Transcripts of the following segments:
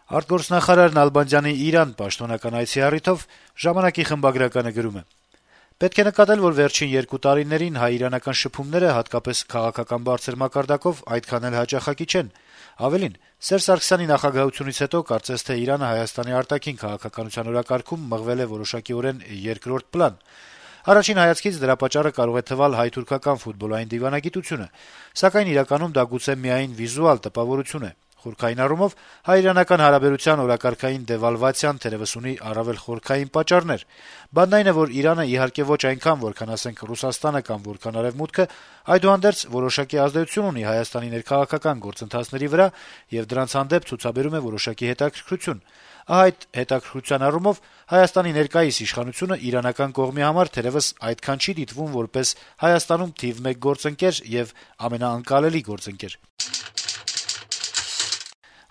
Արտգործնախարար Նալբանդյանի Իրան պաշտոնական այցի առիթով «Ժամանակ»-ի խմբագրականը գրում է. - «Պետք է նկատել, որ վերջին 2 տարիներին հայ-իրանական շփումները, հատկապես քաղաքական բարձր մակարդակով, այդքան էլ հաճախակի չեն: Ավելին, Սերժ Սարգսյանի նախագահությունից հետո կարծես թե Իրանը Հայաստանի արտաքին քաղաքականության օրակարգում մղվել է որոշակիորեն երկրորդ պլան: Առաջին հայացքից դրա պատճառը կարող է թվալ հայ-թուրքական ֆուտբոլային դիվանագիտությունը, սակայն իրականում դա գուցե միայն վիզուալ տպավորություն է: Խորքային առումով հայ-իրանական հարաբերության օրակարգային դեվալվացիան թերեւս ունի առավել խորքային պատճառներ: Բանն այն է, որ Իրանը, իհարկե, ոչ այնքան, որքան, ասենք, Ռուսաստանը կամ որքան Արեւմուտքը, այդուհանդերձ որոշակի ազդեցություն ունի Հայաստանի ներքաղաքական գործընթացների վրա եւ դրանց հանդեպ ցուցաբերում է որոշակի հետաքրքրություն: Ահա այդ հետաքրքրության առումով Հայաստանի ներկայիս իշխանությունը իրանական կողմի համար թերեւս այդքան չի դիտվում որպես Հայաստանում թիվ 1 գործընկեր եւ ամենաընկալելի գործընկեր»: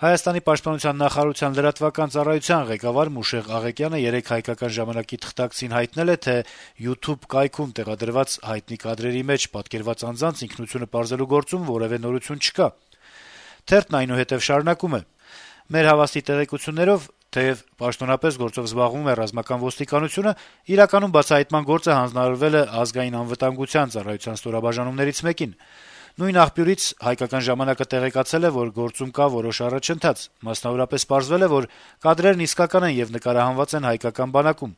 Հայաստանի պաշտպանության նախարարության լրատվական ծառայության ղեկավար Մուշեղ Աղեկյանը երեկ «Հայկական ժամանակ»-ի թղթակցին հայտնել է, թե YouTube կայքում տեղադրված հայտնի կադրերի մեջ պատկերված անձանց ինքնությունը պարզելու գործում որեւէ նորություն չկա: Թերթն այնուհետեւ շարունակում է. - «Մեր հավաստի տեղեկություններով, թեեւ պաշտոնապես գործով զբաղվում է ռազմական ոստիկանությունը, իրականում բացահայտման գործը հանձնարարվել է Ազգային անվտանգության ծառայության ստորաբաժանումներից մեկին: Նույն աղբյուրից «Հայկական ժամանակ»-ը տեղեկացել է, որ գործում կա որոշ առաջընթաց: Մասնավորապես, պարզվել է, որ կադրերն իսկական են եւ նկարահանված են հայկական բանակում: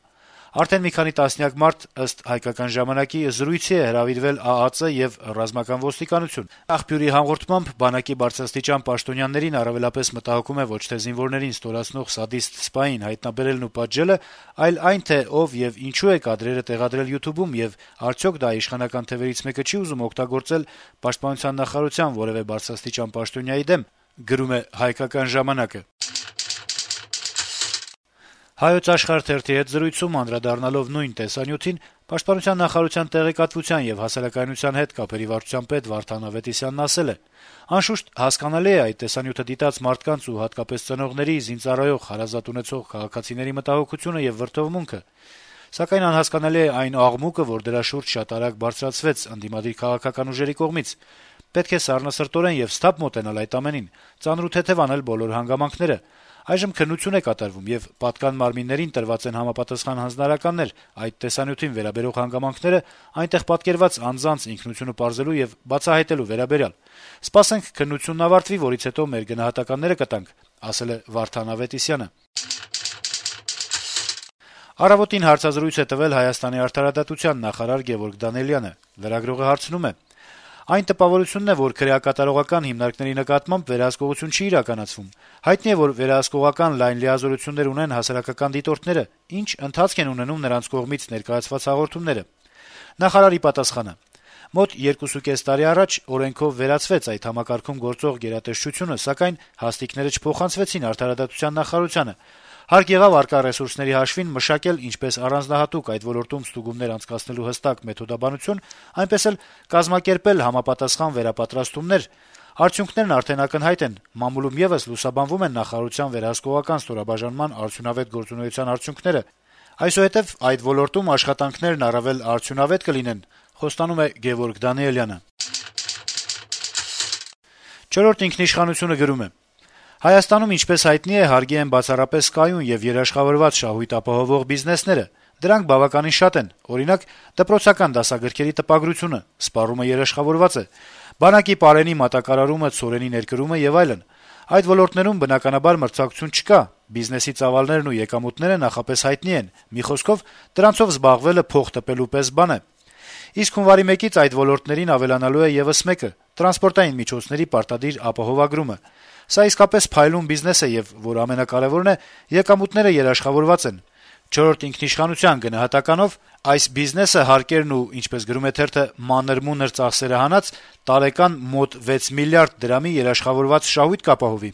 Արդեն մի քանի տասնյակ մարդ, ըստ «Հայկական ժամանակ»-ի, զրույցի է հրավիրվել ԱԱԾ եւ ռազմական ոստիկանություն: Աղբյուրի հաղորդմամբ, բանակի բարձրաստիճան պաշտոնյաներին առավելապես մտահոգում է ոչ թե զինվորներին ստորացնող սադիստ սպային հայտնաբերելն ու պատժելը, այլ այն, թե ով եւ ինչու է կադրերը տեղադրել YouTube-ում եւ արդյոք դա իշխանական թևերից մեկը չի ուզում օգտագործել պաշտպանության նախարարության որեւէ բարձրաստիճան պաշտոնյայի դեմ»: «Հայոց Աշխարհ» թերթի հետ զրույցում անդրադառնալով նույն տեսանյութին, Պաշտպանության նախարարության տեղեկատվության եւ հասարակայնության հետ կապերի վարչության պետ Վարդան Ավետիսյանն ասել է. - «Անշուշտ, հասկանալի է այդ տեսանյութը դիտած մարդկանց ու հատկապես ծնողների, զինծառայող, հարազատ ունեցող քաղաքացիների մտահոգությունը եւ վրդովմունքը: Սակայն անհասկանալի է այն աղմուկը, որ դրա շուրջ շատ արագ բարձրացվեց ընդդիմադիր քաղաքական ուժերի կողմից: Պետք է սառնասրտորեն եւ սթափ մոտենալ այդ ամենին, ծանր ու թեթեւ անել բոլոր հանգամանքները: Այժմ քննություն է կատարվում, եւ պատկան մարմիններին տրված են համապատասխան հանձնարարականներ այդ տեսանյութին վերաբերող հանգամանքները այնտեղ պատկերված անձանց ինքնությունը պարզելու եւ բացահայտելու վերաբերյալ: Սպասենք քննությունն ավարտվի, որից հետո մեր գնահատականները կտանք»: «Առավոտ»-ին հարցազրույց է տվել Հայաստանի արդարադատության նախարար Գեւորգ Դանիելյանը: Լրագրողը հարցնում է. - «Այն տպավորությունն է, որ քրեակատարողական հիմնարկների նկատմամբ վերահսկողություն չի իրականացվում: Հայտնի է, որ վերահսկողական լայն լիազորություններ ունեն հասարակական դիտորդները: Ինչ ընթացք են ունենում նրանց կողմից ներկայացված հաղորդումները»: Նախարարի պատասխանը. - «Մոտ 2.5 տարի առաջ օրենքով վերացվեց այդ համակարգում գործող գերատեսչությունը, սակայն հաստիքները չփոխանցվեցին արդարադատության նախարարությանը: Հարկ եղավ առկա ռեսուրսների հաշվին մշակել ինչպես առանձնահատուկ այդ ոլորտում ստուգումներ անցկացնելու հստակ մեթոդաբանություն, այնպես էլ կազմակերպել համապատասխան վերապատրաստումներ: Արդյունքներն արդեն ակնհայտ են: Մամուլում եւս լուսաբանվում են նախարարության վերահսկողական ստորաբաժանման արդյունավետ գործունեության արդյունքները: Այսուհետեւ այդ ոլորտում աշխատանքներն առավել արդյունավետ կլինեն»: «Չորրորդ ինքնիշխանություն»-ը գրում է. - «Հայաստանում, ինչպես հայտնի է, հարգի են բացառապես կայուն եւ երաշխավորված շահույթ ապահովող բիզնեսները: Դրանք բավականին շատ են: Օրինակ, դպրոցական դասագրքերի տպագրությունը, սպառումը երաշխավորված է: Բանակի պարենի մատակարարումը, ցորենի ներկրումը եւ այլն: Այդ ոլորտներում, բնականաբար, մրցակցություն չկա: Բիզնեսի ծավալներն ու եկամուտները նախապես հայտնի են: Մի խոսքով, դրանցով զբաղվելը փող տպելու պես բան է: Իսկ հունվարի 1-ից այդ ոլորտներին ավելանալու է եւս մեկը` տրանսպորտային միջոցների պարտադիր ապահովագրումը: Սա իսկապես փայլուն բիզնես է եւ, որ ամենակարեւորն է, եկամուտները երաշխավորված են: «Չորրորդ ինքնիշխանության» գնահատականով, այս բիզնեսը հարկերն ու, ինչպես գրում է թերթը, մանր-մունր ծախսերը հանած, տարեկան մոտ 6 միլիարդ դրամի երաշխավորված շահույթ կապահովի»: